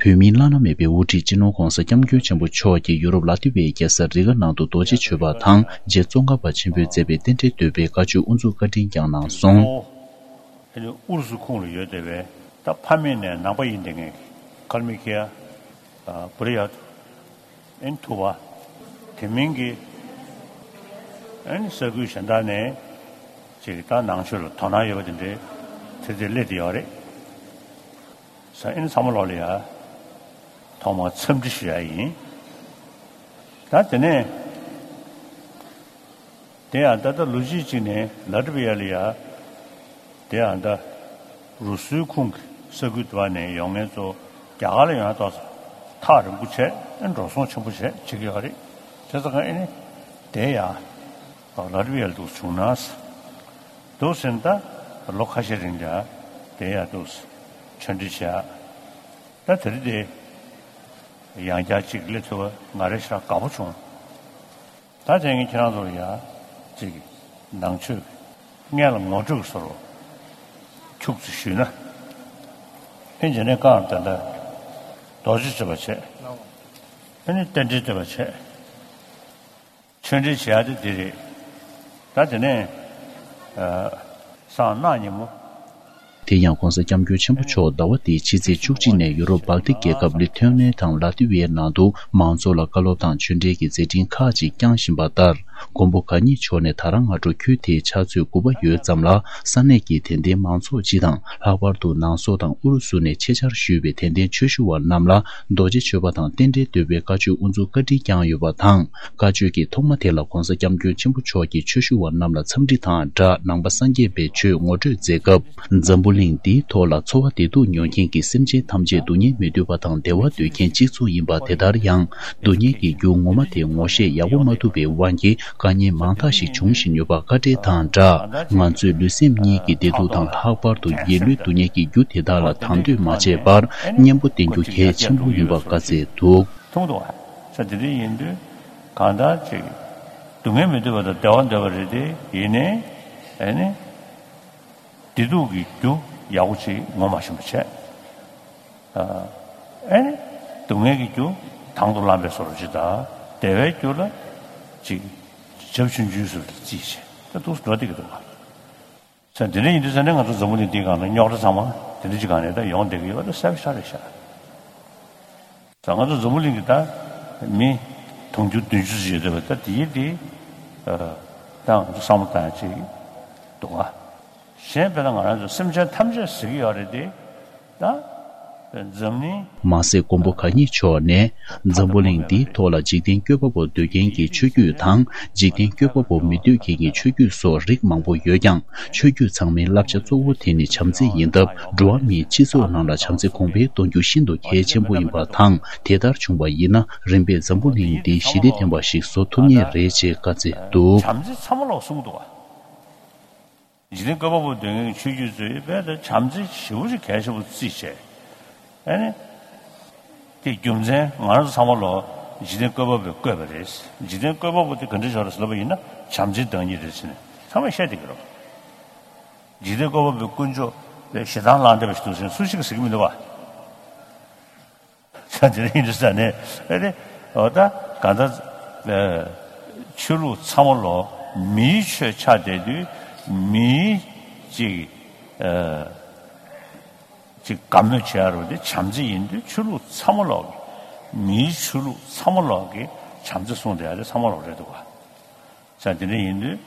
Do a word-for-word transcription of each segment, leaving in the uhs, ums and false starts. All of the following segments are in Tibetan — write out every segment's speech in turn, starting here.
བོད་མིའི་བླ་ན་མེད་པའི་དབུ་ཁྲིད་སྤྱི་ནོར་༧གོང་ས་༧སྐྱབས་མགོན་ཆེན་པོ་མཆོག་གིས་ཡུ་རོབ་ལ་ཏི་བའི་རྒྱལ་ས་རི་ག་ནང་དུ་རྡོ་རྗེ་ཆོས་པ་དང་རྗེ་ཙོང་ཁ་པ་ཆེན་པོས་མཛད་པའི་རྟེན་འབྲེལ་བསྟོད་པའི་བཀའ་ཆོས་དབུ་འཛུགས་བཀའ་དྲིན་བསྐྱངས་གནང་སོང་། ཨ་ནི་ཨུ་རུ་སུ་ཁོངས་ལ་ཡོད་བསྡད་པའི་ད་ཕ་མེས་ནས་ནང་པ་ཡིན་བསྡད་མཁན་གྱི་ཀལ་མི་ཁི་ཡ། ཨ་བུ་རི་ཡ། ཨན་ཐུ་བ། དེ་མིན་གྱི་ཨན་ས་ཁུལ་གཞན་དག་ནས་ཅིག་ད་ནང་ཆོས་ལ་དོ་སྣང་ཡོད་པ་དེ་འདྲའི་དེ་དེ་སླེབས་བསྡད་ཡོད་རེད། ས་ཨན་ཚང་མ་ལོག་ལ་ཡ། ཐོག་མར་འཚམས་འདྲི་ཞུ་ཡ་ཡིན། ད་དེ་ནས། དེ་ཡང་ད་ལྟ་ལོ་གཅིག་ཅིག་ནས་ལ་ཏི་བི་ཡ་ལ་ཡ། དེ་ཡང་ད་རུ་སུའི་ཁོངས་ཀྱི་ས་ཁུལ་དུ་བ་ནས་ཡོང་མཁན་ཚོ་རྒྱ་གར་ལ་ཡོང་ཡ་ཏོག་ཙམ་ཐག་རིང་པོ་བྱས་ཨེ་འགྲོ་སོང་ཆེན་པོ་བྱས་བྱེད་ཀྱི་ཡོད་རེད། བྱས་ཙང་ཨེ་ནི་དེ་ཡ་ལ་ཏི་བི་ཡ་ལ་འདུག་བྱུང་ན་འདུག་ཟེར་ན་ད་ལོ་ཁ་ཤས་རིང་ལ་དེ་ཡ་འདུག་ཆོས་འབྲེལ་བྱས་ཨ། ད་དེ་རིང་དེ་ཡང་བསྐྱར་གཅིག་སླེབས་ཐུབ་པ་ང་རེ་ཞེ་དྲག་དགའ་པོ་བྱུང་། ད་དེ་ངས་ཁྱེད་རང་ཚོ་ལ་ཡ་གཅིག་ནང་ཆོས་སྔོན་ལ་ངོ་སྤྲོད་བཟོ་རོགས་ཁྱུག་ཙམ་ཞུས་ན། ཨེ་རྗེས་ནས་བཀའ་ད་ལྟ་རྡོ་རྗེ་བྱེད་པ་བྱས། ཨེ་ནི་རྟེན་འབྲེལ་བསྟོད་པ་བྱས། ཆོས་འབྲེལ་བྱེད་ཡ་དེ་འདི་རེད། ད་དེ་ནས་ཨ་སང་གནངས་ཉིན་མོ། དེ་ཡང་༧གོང་ས་༧སྐྱབས་མགོན་ཆེན་པོ་མཆོག་ཟླ་བ་འདིའི་ཕྱི་ཚེས་བཅུ་གཅིག་ནས་ཡུ་རོབ་བལ་ཏི་རྒྱལ་ཁབ་ལི་ཐུ་ཨེ་ནི་ཡ་དང་ལ་ཏི་ཝི་ཡའི་ནང་དུ་མང་ཚོགས་ལ་བཀའ་སློབ་དང་ཆོས་འབྲེལ་གྱི་མཛད་འཕྲིན་ཁག་ཅིག་བསྐྱངས་བཞིན་པ་ལྟར། མགོན་པོ་གང་ཉིད་མཆོག་ནས་ད་རང་སྔ་དྲོ་ཁྱོན་དེའི་ཕྱག་ཚོད་དགུ་པ་ཡོལ་ཙམ་ལ་ས་གནས་ཀྱི་དད་ལྡན་མང་ཚོགས་སྤྱི་དང་ལྷག་པར་དུ་ནང་སོག་དང་ཨུ་རུ་སུ་ནས་ཆེད་བཅར་ཞུས་པའི་དད་ལྡན་ཆོས་ཞུ་བ་རྣམས་ལ་རྡོ་རྗེ་མཆོད་པ་དང་རྟེན་འབྲེལ་བསྟོད་པའི་བཀའ་ཆོས་དབུ་འཛུགས་བཀའ་དྲིན་བསྐྱངས་ཡོད་པ་དང་། བཀའ་ཆོས་ཀྱི་ཐོག་མ་དེ་ལ་༧གོང་ས་༧སྐྱབས་མགོན་ཆེན་པོ་མཆོག་གིས་ཆོས་ཞུ་བ་རྣམས་ལ་འཚམས་འདྲི་དང་སྦྲགས་ནང་པ་སངས་རྒྱས་པའི་ཆོས་ངོ་སྤྲོད་མཛད་སྐབས། འཛམ་བུ་གླིང་འདིའི་ཐོག་ལ་འཚོ་བ་བདེ་སྡུག་མྱོང་མཁན་གྱི་སེམས་ཅན་ཐམས་ཅད་སྡུག་བསྔལ་མི་འདོད་པ་དང་བདེ་བ་འདོད་མཁན་གཅིག་མཚུངས་ཡིན་པ་དེ་ལྟར་ཡང་སྡུག་བསྔལ་གྱི་རྒྱུ་ངོ་མ་དེ་ངོ་ཤེས་ཡག་པོ་མ་ཐུབ་པའི་དབང་གིས་དཀའ་ངལ་མང་དག་ཞིག་འབྱུང་བཞིན་ཡོད་པ་བཀའ་འགྲེལ་དང་སྦྲགས། ང་ཚོས་ལུས་སེམས་གཉིས་ཀྱི་བདེ་སྡུག་དང་ལྷག་པར་དུ་སྒྱིད་ལུག་སྡུག་བསྔལ་གྱི་རྒྱུ་དེ་དག་ལ་དང་དོད་མ་བྱས་པར་གཉེན་པོ་བསྟེན་རྒྱུ་གལ་ཆེན་པོ་ཡིན་པ་བཀའ་སྩལ་འདུག། མཐོང་འདུག་བ། ས་དེ་འདྲ་ཡིན་དུས་གང་ལྟར་ཅིག་སྡུག་བསྔལ་མི་འདོད་པ་དང་བདེ་བ་འདོད་པ་རེད་དེ་ཡིན་ནའི་ཨེ་ནི་བདེ་སྡུག་གི་རྒྱུ་ཡག་པོ་ཅིག་ངོ་མ་ཤེས་པ་བྱས། ཨེ་ནི་སྡུག་བསྔལ་གྱི་རྒྱུ་དང་དུ་བླངས་པའི་བཟོ་འདྲ་ཅིག་དང་བདེ་བའི་རྒྱུ་ལ་ཅིག་རྒྱབ་ཆུང་ཆུང་བཟོ་འདྲ་རྩིས་བྱས་ད་འདུག་འགྲོ་བསྡད་ཀྱི་འདུག་བ། ས་འདི་འདྲ་ཡིན་དུས་ས་ནས་ང་ཚོ་འཛམ་བུ་གླིང་འདིའི་སྒང་ལ་རྙོག་དྲ་ཚང་མ་འདི་འདྲ་ཅིག་སྒང་ནས་ད་ཡོང་བསྡད་ཀྱི་ཡོད་པ་ད་གསལ་པོ་ཤར་རེད་ཤག། ས་ང་ཚོ་འཛམ་བུ་གླིང་གི་ད་མི་དུང་ཕྱུར་བདུན་ཅུ་ཙམ་ཡོད་བསྡད་པ་ད་དེའི་དེ་ད་ང་ཚོ་བསམ་བློ་བཏང་ཡ་ཅིག་འདུག་ག། གཞན་དཔེར་ན་ང་རང་ཚོ་སེམས་ཅན་ཐམས་ཅད་ཟེར་གྱི་ཡོད་རེད་དེ། ད་འཛམ་གླིང་། མ་ཟད་མགོན་པོ་གང་ཉིད་མཆོག་ནས་འཛམ་བུ་གླིང་འདིའི་ཐོག་ལ་འཇིག་རྟེན་བཀོད་པ་པོ་འདོད་མཁན་གྱི་ཆོས་བརྒྱུད་དང་འཇིག་རྟེན་བཀོད་པ་པོ་མི་འདོད་མཁན་གྱི་ཆོས་བརྒྱུད་སོགས་རིགས་མང་པོ་ཡོད་ཀྱང་ཆོས་བརྒྱུད་ཚང་མའི་བསླབ་བྱ་གཙོ་བོ་དེ་ནི་བྱམས་བརྩེ་ཡིན་སྟབས་འགྲོ་བ་མིའི་སྤྱི་ཚོགས་ནང་ལ་བྱམས་བརྩེ་གོང་འཕེལ་གཏོང་རྒྱུ་ཤིན་ཏུ་གལ་ཆེན་པོ་ཡིན་པ་དང་དེ་ལྟར་བྱུང་བ་ཡིན་ན་རིམ་པས་འཛམ་བུ་གླིང་འདི་ཞི་བདེ་ལྡན་པ་ཞིག་བཟོ་ཐུབ་ངེས་རེད་ཅེས་བཀའ་སྩལ་འདུག། བྱམས་བརྩེ་ཚང་མ་ལོག་གསུངས་འདུག་བ། འཇིག་རྟེན་བཀོད་པ་པོ་འདོད་མཁན་གྱི་ཆོས་བརྒྱུད་ཚོས་དཔེ་ལྟ་བྱམས་བརྩེ་ཞེ་པོ་ཅིག་གལ་ཆེན་པོ་བརྩིས་བྱས། ཨ་ནི། དེ་རྒྱུ་མཚན་ང་རང་ཚོ་ཚང་མ་ལོ་འཇིག་རྟེན་བཀོད་པ་པོས་བཀོད་པ་རེད། འཇིག་རྟེན་བཀོད་པ་པོ་དེ་ག་འདྲ་ཞིག་རེད་ཟེར་ལབ་པ་ཡིན་ན་བྱམས་བརྩེའི་བདག་ཉིད་རེད་ཟེར་ནས་ཚང་མས་བཤད་བསྡད་ཀྱི་རེད། འཇིག་རྟེན་བཀོད་པ་པོའི་དཀོན་མཆོག་དེ་ཞེ་སྡང་ལངས་བསྡད་པ་ཞིག་འདུག་ཟེར་ནས་སུ་ཞིག་གིས་ཟེར་གྱི་མི་འདུག་བ། ས་དེ་རིང་འདི་ས་ནས་ཨེ་རེད། འོ་ད་གང་ལྟར་ཨེ་ཆོས་ལུགས་ཚང་མ་ལོ་མིའི་ཆོས་ཆགས་བསྡད་དུས་མིའི་ཅིག་ཨེ་ཅིག་དགའ་མོས་བྱེད་ཡ་རུ་དེ་བྱམས་བརྩེ་ཡིན་དུས་ཆོས་ལུགས་ཚང་མ་ལོག་གི་མིའི་ཆོས་ལུགས་ཚང་མ་ལོག་གི་བྱམས་བརྩེ་གསུངས་བསྡད་ཡ་དེ་ཚང་མ་ལོག་རེད་འདུག་ག། ས་དེ་འདྲ་ཡིན་དུས་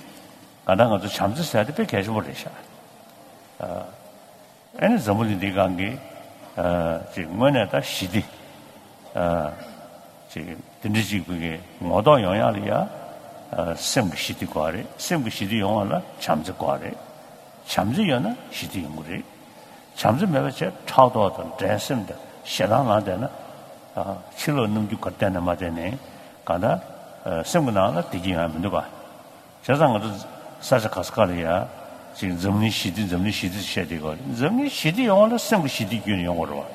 གང་ལྟར་ང་ཚོ་བྱམས་བརྩེ་ཟེར་ཡ་དེ་དཔེ་གལ་ཆེན་པོ་རེད་ཤག། ཨ། ཨ་ནི་འཛམ་བུ་གླིང་འདིའི་སྒང་གི་ཨ་ཅིག་དངོས་གནས་ད་ཞི་བདེ་ཨ་ཅིག་དེ་འདྲ་ཅིག་གི་ངོ་ཐོག་ཡོང་ཡག་ལ་ཡ་ཨ་སེམས་ཀྱི་ཞི་བདེ་དགོས་རེད། སེམས་ཀྱི་ཞི་བདེ་ཡོང་བ་ལ་བྱམས་བརྩེ་དགོས་རེད། བྱམས་བརྩེ་ཡོད་ན་ཞི་བདེ་ཡོང་གི་རེད། བྱམས་བརྩེ་མེད་པ་བྱས་ཕྲག་དོག་དང་འགྲན་སེམས་དང་ཞེ་སྡང་ལངས་བསྡད་ན་ཨ་ཕྱི་ལོགས་རྣམ་འགྱུར་ག་བསྟན་ན་མ་བསྟན་ནའི་གང་ལྟར་ཨ་སེམས་ཀྱི་ནང་ལ་བདེ་སྐྱིད་ཡོང་ཡ་མི་འདུག་ག། བྱས་ཙང་ང་ཚོ་ས་ཆ་ག་ས་ག་ལ་ཡ་ཅིག་འཛམ་གླིང་ཞི་བདེ་འཛམ་གླིང་ཞི་བདེ་ཟེར་བཤད་བསྡད་ཡོད་རེད། འཛམ་གླིང་ཞི་བདེ་ཡོང་བ་ལ་སེམས་ཀྱི་ཞི་བདེ་བརྒྱུད་ནས་ཡོང་དགོས་རེད་བ།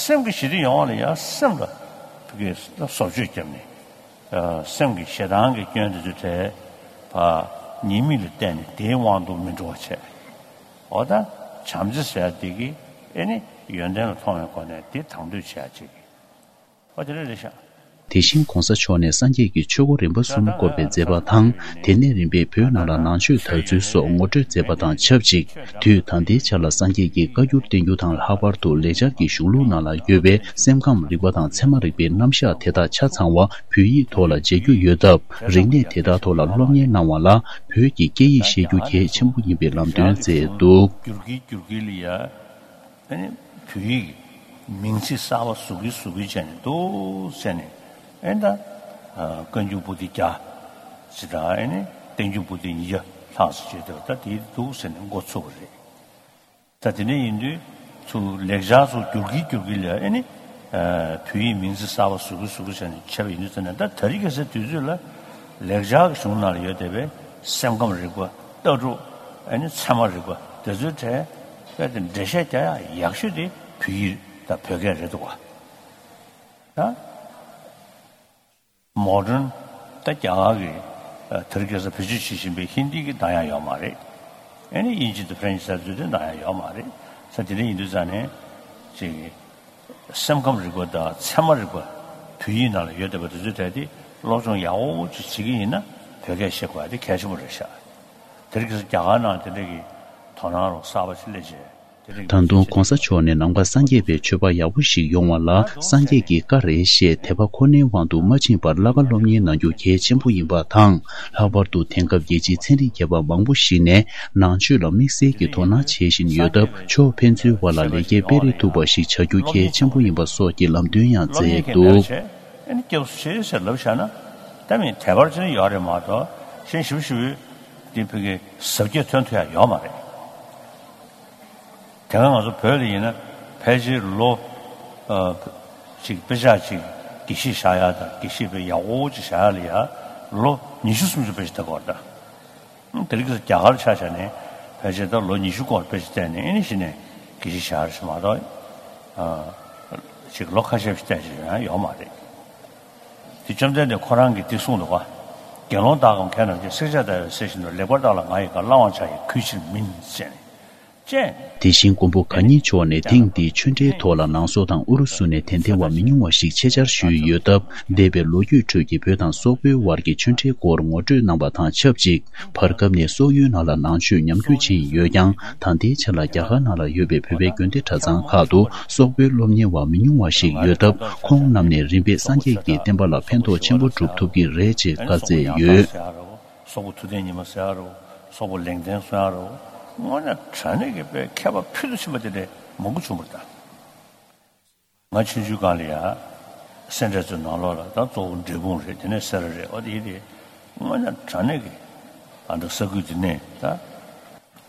སེམས་ཀྱི་ཞི་བདེ་ཡོང་བ་ལ་ཡ་སེམས་ལ་ཕ་གིའི་བཟོ་བཅོས་བརྒྱབ་ནས་ཨ་སེམས་ཀྱི་ཞེ་སྡང་གི་སྐྱོན་དེ་ཚོ་བྲལ་བ་ཉེས་དམིགས་ལ་བལྟས་ནས་དེའི་དབང་དུ་མི་འགྲོ་བ་བྱས། འོ་ད་བྱམས་བརྩེ་ཟེར་ཡ་དེ་གི་ཨེ་ནི་ ཡོན་ཏན་ལ་མཐོང་བའི་སྒོ་ནས་དེ་དང་དོད་བྱེད་ཡ་ཅིག་ཨོ་དེ་འདྲ་རེད་ཤག་དེ་བཞིན་གོང་ས་མཆོག་ནས་སངས་རྒྱས་ཀྱི་ཆོས་སྒོ་རིམ་པ་གསུམ་བསྐོར་བའི་མཛད་པ་དང་། དེ་ནས་རིམ་པས་བོད་ནང་ལ་ནང་ཆོས་དར་ཚུལ་སོགས་ངོ་སྤྲོད་མཛད་པ་དང་ཆབས་ཅིག་དུས་ད་ལྟའི་ཆ་ལ་སངས་རྒྱས་ཀྱི་བཀའ་འགྱུར་བསྟན་འགྱུར་དང་། ལྷག་པར་དུ་ལེགས་སྦྱར་གྱི་གཞུང་ལུགས་ནང་ལ་ཡོད་པའི་སེམས་ཁམས་རིག་པ་དང་ཚད་མ་རིག་པའི་རྣམ་གཞག་དེ་དག་ཆ་ཚང་བ་བོད་ཡིག་ཐོག་ལ་མཇལ་རྒྱུ་ཡོད་སྟབས། རིག་གནས་དེ་དག་ཐོག་ལ་སློབ་གཉེར་གནང་བ་ལ་བོད་ཀྱི་སྐད་ཡིག་ཤེས་རྒྱུ་གལ་ཆེན་པོ་ཡིན་པའི་ལམ་སྟོན་མཛད་འདུག་སྒྱུར་གྱིན་སྒྱུར་གྱིན་ལ་ཡ། ཨ་ནི་བོད་ཡིག་གི་མིང་ཚིག་གསར་པ་བཟོ་གིན་བཟོ་གིན་བྱས་ནས་འདུག་བྱས་ནས། ཨེ་ད་ཨ་བཀའ་འགྱུར་པོ་ཏི་བརྒྱ་ཅིག་དང་། ཨེ་ནི་བསྟན་འགྱུར་པོ་ཏི་ཉིས་བརྒྱ་ལྷག་ཙམ་བྱས་འདུག་ད་དེ་འདུག་ཟེར་ནས་འགོ་ཚུགས་པ་རེད། ད་དེ་འདྲ་ཡིན་དུས་ཚུར་ལེགས་སྦྱར་ཚུར་བསྒྱུར་གིན་བསྒྱུར་གིན་ལ། ཨེ་ནི་ཨ་བོད་ཡིག་མིང་ཚིག་གསར་པ་བཟོ་གིན་བཟོ་གིན་བྱས་ནས་བྱས་པ་ཡིན་དུས་ཙམ་ནས། ད་དེ་རིང་ཁ་སང་དུས་ཚོད་ལ་ལེགས་སྦྱར་གྱི་གཞུང་ནང་ལ་ཡོད་བསྡད་པའི་སེམས་ཁམས་རིག་པ། ལྟ་གྲུབ། ཨ་ནི་ཚད་མ་རིག་པ་དེ་ཚོའི་གྲས་དཔེ་དེ་འགྲེལ་བཤད་རྒྱག་ཡག་ཡག་ཤོས་དེ་བོད་ཡིག་དང་བོད་སྐད་རེད་འདུག་ག་ད་མོ་ཌན་ད་རྒྱ་གར་གྱི་ཨ་དེ་རིང་ཁ་སང་བེད་སྤྱོད་བྱེད་བཞིན་པའི་ཧིན་དི་གི་འདང་ཡག་ཡོད་མ་རེད། ཨ་ནི་དབྱིན་ཇི་དང་ཧྥ་རན་ཇི་ཟེར་ཚུལ་དེ་འདང་ཡག་ཡོད་མ་རེད། ས་དེ་འདྲ་ཡིན་དུས་ཙང་ནས་ཅིག་སེམས་ཁམས་རིག་པ་དང་ཚད་མ་རིག་པ་བོད་ཡིག་ནང་ལ་ཡོད་བསྡད་པ་དེ་ཚོའི་གྲས་དེ་སློབ་སྦྱོང་ཡག་པོ་ཅིག་བྱེད་ཀྱི་ཡིན་ན་བོད་སྐད་བཤད་དགོས་ཡ་དེ་གལ་ཆེན་པོ་རེད་ཤག་དེ་རིང་ཁ་སང་རྒྱ་གར་ནང་དེ་འདྲ་གི་དོ་སྣང་རོགས་གསར་པ་ཅིག་སླེབས་བྱས། དེ་རིང་ད་དུང་གོང་ས་མཆོག་ནས་ནམ་མཁའ་སངས་རྒྱས་པའི་མཆོད་པ་ཡག་པོ་ཞིག་ཡོང་བ་ལ་སངས་རྒྱས་ཀྱི་བཀའ་རེད་ཞེས་དད་པ་ཁོ་ནའི་དབང་དུ་མ་ཕྱིན་པར་བསླབ་པ་སློབ་གཉེར་གནང་རྒྱུ་གལ་ཆེན་པོ་ཡིན་པ་དང་། ལྷག་པར་དུ་དེང་སྐབས་རྒྱལ་སྤྱིའི་ཚན་རིག་མཁས་པ་མང་པོ་ཞིག་ནས་ནང་ཆོས་ལ་དམིགས་བསལ་གྱི་དོ་སྣང་བྱེད་བཞིན་ཡོད་སྟབས། ཕྱོགས་ཕན་ཚུན་བར་ལ་ལེགས་སྐྱེས་སྤེལ་རེས་ཐུབ་པ་ཞིག་བྱ་རྒྱུ་གལ་ཆེན་པོ་ཡིན་པ་སོགས་ཀྱི་ལམ་སྟོན་ཡང་མཛད་འདུག་ཨ་ནི་སྐྱབས་སུ་མཆི་ཟེར་ལབ་བཞག་ན་ད་མི་དད་པར་བྱས་ན་ཡོད་རེད་མ་གཏོགས། གཞན་ཞིབ་ཞིབ་དེ་བོད་ཀྱི་ཟབ་རྒྱས་ཐོན་ཐུབ་ཡ་ཡོད་མ་རེད། དེ་སྔ་ང་ཚོ་བོད་ལ་ཡིན་ན་ཕལ་ཆེར་ལོ་ཨ་ཅིག་དཔེ་ཆ་ཅིག་དགེ་བཤེས་བཞག་ཡ་དང་། དགེ་བཤེས་དཔེ་ཡག་པོ་ཅིག་བཞག་ཡ་ལ་ཡ་ལོ་ཉི་ཤུ་སུམ་ཅུ་དཔེ་ཆ་ལྟ་དགོས་རེད་ད། དེ་རིང་ཁ་སང་རྒྱ་གར་ཆ་བཞག་ནས་ཕལ་ཆེར་ད་ལོ་ཉི་ཤུ་སྐོར་དཔེ་ཆ་བལྟས་ནས། ཨེ་ནི་གཞི་ནས་དགེ་བཤེས་བཞག་རེད་མ་གཏོགས། ཨ་ཅིག་ལོ་ཁ་ཤས་ཤིག་བལྟས་ཤིག་ཡང་ཡོད་མ་རེད། དེ་བཅོམ་ལྡན་འདས་ཁོ་རང་གིས་འདི་གསུངས་འདུག་ག་དགེ་སློང་དག་གམ་མཁས་རྣམས་ཀྱིས། བསྲེགས་བཅད་ལྟ་བའི་གསེར་བཞིན་དུ། ལེགས་པར་བརྟགས་ལ་ང་ཡི་བཀའ། བླང་བར་བྱ་ཡི་གུས་ཕྱིར་མིན། ཅེས་ནས། ཅེས། དེ་བཞིན་མགོན་པོ་གང་ཉིད་མཆོག་ནས་ཐེངས་འདིའི་ཆོས་འབྲེལ་ཐོག་ལ་ནང་སོག་དང་ཨུ་རུ་སུ་ནས་དད་ལྡན་པ་མི་ཉུང་བ་ཞིག་ཆེད་བཅར་ཞུས་ཡོད་སྟབས། འདས་པའི་ལོ་རྒྱུས་ཁྲོད་ཀྱི་བོད་དང་སོག་པོའི་དབར་གྱི་ཆོས་འབྲེལ་སྐོར་ངོ་སྤྲོད་གནང་བ་དང་ཆབས་ཅིག་བར་སྐབས་ནས་སོག་ཡུལ་ནང་ལ་ནང་ཆོས་ཉམས་རྒུད་ཕྱིན་ཡོད་ཀྱང་། ད་ལྟའི་ཆ་ལ་རྒྱ་གར་ནང་ལ་ཡོད་པའི་བོད་པའི་དགོན་སྡེ་གྲྭ་ཚང་ཁག་ཏུ་སོག་པོའི་སློབ་གཉེར་བ་མི་ཉུང་བ་ཞིག་ཡོད་སྟབས། ཁོང་རྣམས་ནས་རིམ་པས་སངས་རྒྱས་ཀྱི་བསྟན་པ་ལ་ཕན་ཐོགས་ཆེན་པོ་སྒྲུབ་ཐུབ་ཀྱི་རེད་ཅེས་བཀའ་སྩལ་ཡོད། སོག་པོ་ཐུབ་བསྟན་ཉི་མ་ཟེར་ཡ་རོ། སོག་པོ་ལེགས་ལྡན་གསུང་ཡ་རོ། དངོས་གནས་དྲང་གནས་ཀྱི་དཔེ་མཁས་པ་ཕུལ་དུ་ཕྱིན་པ་དེ་འདྲ་མང་པོ་བྱུང་བ་རེད་ད། ང་ཆུང་ཆུང་སྒང་ལ་ཡ་སེ་འབྲས་ཚོའི་ནང་ལོགས་ལ་ད་གཙོ་བོ་འབྲས་སྤུངས་རེད། དེ་ནས་སེ་ར་རེད། འོ་དེ་དེ་དངོས་གནས་དྲང་གནས་ཀྱི་ཨ་འདི་ས་ཁུལ་འདི་ནས་ད་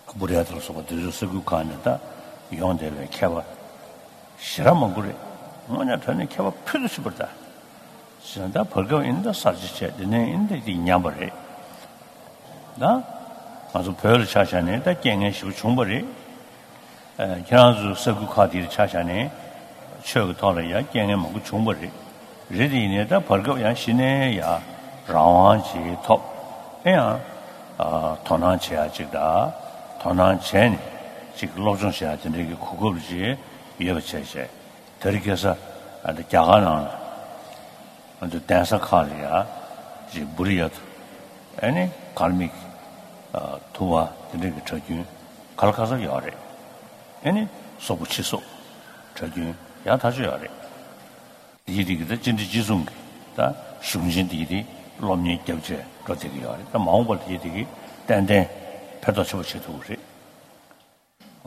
སྐུ་རེད་དང་སོགས་པ་དེ་ཚོའི་ས་ཁུལ་ཁག་ནས་ད་ཡོང་བསྡད་པའི་མཁས་པ་ཞེ་དྲག་མང་པོ་རེད། དངོས་གནས་དྲང་གནས་མཁས་པ་ཕུལ་དུ་ཕྱིན་པ་རེད་ད། ཟེར་ན་ད་བར་སྐབས་ཡིན་ན་ད་གསར་བརྗེ་བྱས། དེ་ནས་ཡིན་ན་ད་དེ་ཉམས་པ་རེད། ད་ང་ཚོ་བོད་ལ་ཆ་བཞག་ནས་ད་རྐྱེན་ངན་ཞེ་པོ་བྱུང་བ་རེད། ཨ་ཁྱེད་རང་ཚོའི་ས་ཁུལ་ཁག་དེར་ཆ་བཞག་ནས་ཆོས་ཀྱི་ཐོག་ལ་ཡང་རྐྱེན་ངན་མང་པོ་བྱུང་བ་རེད། རེད་དེ་ཡིན་ནའི་ད་བར་སྐབས་ཡང་གཞི་ནས་ཡང་རང་དབང་ཅིག་ཐོབ། ཨེ་ཡང་ཨ་དོ་སྣང་བྱེད་ཡ་ཅིག་དང་། དོ་སྣང་བྱས་ནས་ཅིག་སློབ་སྦྱོང་བྱེད་ཡ་དེ་འདྲའི་གི་གོ་སྐབས་ཅིག་ཡོད་པ་བྱས་བྱས། དེ་རིང་ཁ་སང་ཨ་ད་རྒྱ་གར་ནང་ལ་ང་ཚོ་གདན་ས་ཁག་ལ་ཡ་ཅིག་བུ་རི་ཡ་ཐུ། ཨ་ནི་གར་མིག་ཨ་ཐུ་བ་དེ་འདྲ་གི་གྲྭ་རྒྱུན་ག་ལ་ག་ས་ཡོད་རེད། ཨ་ནི་སོག་པོ་ཕྱི་སོག་གྲྭ་རྒྱུན་ཡང་ཐག་ཆོད་ཡོད་རེད། དེ་ཡི་དེ་གི་ད་སྤྱི་འཐུས་སྤྱི་ཚོགས་ཀྱི་ད་གཞུང་ཆེན་དེ་ཡི་དེ་སློབ་གཉེར་རྒྱབ་བྱས་འགྲོ་བསྡད་ཀྱི་ཡོད་རེད། ད་མ་འོངས་པར་དེ་ཡི་དེ་གི་ཏན་ཏན་ཕན་ཐོགས་ཆེན་པོ་བྱེད་ཐུབ་ཀྱི་རེད།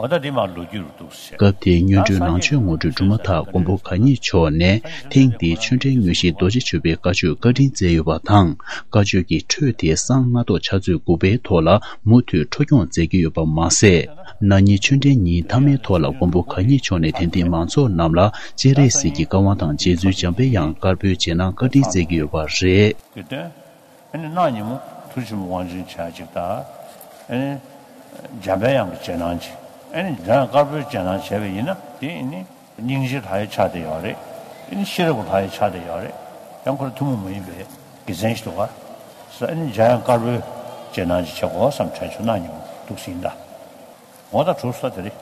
འོ་ད་འདི་མར་ལོ་རྒྱུས་རུ་འདུག་ཟེར། སྐབས་དེའི་སྔོན་འགྲོའི་ནང་ཆོས་ངོ་སྤྲོད་གྲུབ་མ་ཐག་མགོན་པོ་གང་ཉིད་མཆོག་ནས་ཐེངས་འདིའི་ཆོས་འབྲེལ་དངོས་གཞིའི་རྡོ་རྗེ་ཆོས་པའི་བཀའ་ཆོས་བཀའ་དྲིན་སྩལ་ཡོད་པ་དང་། བཀའ་ཆོས་ཀྱི་འཕྲོས་དེ་གསང་སྔགས་ཐོག་ཕྱག་ཚོད་དགུ་པའི་ཐོག་ལ་མུ་མཐུད་འཕྲོ་སྐྱོང་མཛད་ཀྱི་ཡོད་པ་མ་ཟད། ན་ནིང་ཆོས་འབྲེལ་ཉིན་མཐའ་མའི་ཐོག་ལ་མགོན་པོ་གང་ཉིད་མཆོག་ནས་དད་ལྡན་མང་ཚོགས་རྣམས་ལ་སྤྱན་རས་གཟིགས་ཀྱི་བཀའ་དབང་དང་རྗེ་བཙུན་འཇམ་དཔལ་དབྱངས་དཀར་པོའི་རྗེས་གནང་བཀའ་དྲིན་སྩལ་གྱི་ཡོད་པ་རེད། ཨ་ནི་གནངས་ཉིན་མོ་ཐུགས་ཆེན་པོ་དབང་ཆེན་བྱ་ཅིག་དང་། ཨ་ནི་འཇམ་དཔལ་དབྱངས་ཀྱི་རྗེས་གནང་ཅིག་ཨ་ནི་འཇམ་དབྱངས་དཀར་པོའི་རྗེས་གནང་བྱས་པ་ཡིན་ན། དེ་ཨ་ནི་སྙིང་རྗེ་ལྷ་ཡི་ཆ་དེ་ཡོད་རེད། ཨ་ནི་ཤེས་རབ་ཀྱི་ལྷ་ཡི་ཆ་དེ་ཡོད་རེད། ཡང་ཁོ་རང་ཐུན་མོང་མ་ཡིན་པའི་དགེ་མཚན་ཞིག་འདུག་ག་ས། ཨ་ནི་འཇམ་དབྱངས་དཀར་པོའི་རྗེས་གནང་ཅིག་བྱེད་དགོས་བསམ་དྲན་བྱུང་། གནངས་ཉིན་མོ་འདུག་ཟིན་ད། འོ་ད་གྲུབ་ས་དེ་རེད།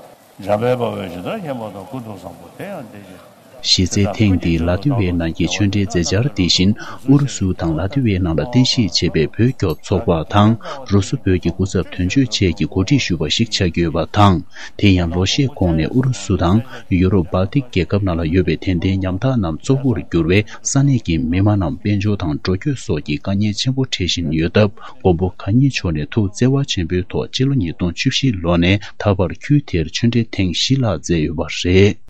འཇམ་དཔལ་དཔའ་བོས་ཇི་ལྟར་མཁྱེན་པ་དང་། ཀུན་ཏུ་བཟང་པོ་དེ་ཡང་དེ་བཞིན། གཞི་རྩའི་ཐེངས་འདིའི་ལ་ཏི་ཝའི་ནང་གི་ཆོས་འབྲེལ་མཛད་འཆར་དེ་བཞིན་ཨུ་རུ་སུ་དང་ལ་ཏི་ཝའི་ནང་ལ་རྟེན་གཞི་བྱས་པའི་བོད་སྐྱོབ་ཚོགས་པ་དང་རུ་སུ་བོད་ཀྱི་སྐུ་ཚབ་དོན་གཅོད་བཅས་ཀྱིས་གོ་སྒྲིག་ཞུས་པ་ཞིག་ཆགས་ཀྱི་ཡོད་པ་དང་། དེ་ཡང་ལོ་ཤས་གོང་ནས་ཨུ་རུ་སུ་དང་ཡུ་རོབ་སྦལ་ཏིག་རྒྱལ་ཁབ་ནང་ལ་ཡོད་པའི་དད་ལྡན་ཉམ་ཐག་རྣམས་གཙོ་བོར་གྱུར་བའི་ས་གནས་ཀྱི་མི་མང་རྣམས་དཔལ་འབྱོར་དང་འགྲོ་སྐྱོད་སོགས་ཀྱི་དཀའ་ངལ་ཆེན་པོ་འཕྲད་བཞིན་ཡོད་སྟབས། མགོན་པོ་གང་ཉིད་མཆོག་ནས་ཐུགས་བརྩེ་བ་ཆེན་པོའི་ཐོག་སྤྱི་ལོ་ཉིས་སྟོང་བཅུ་བཞི་ལོ་ནས་ད་བར་ཁུལ་དེར་ཆོས་འབྲེལ་ཐེངས་བཞི་ལྷག་མཛད་ཡོད་པ་རེད།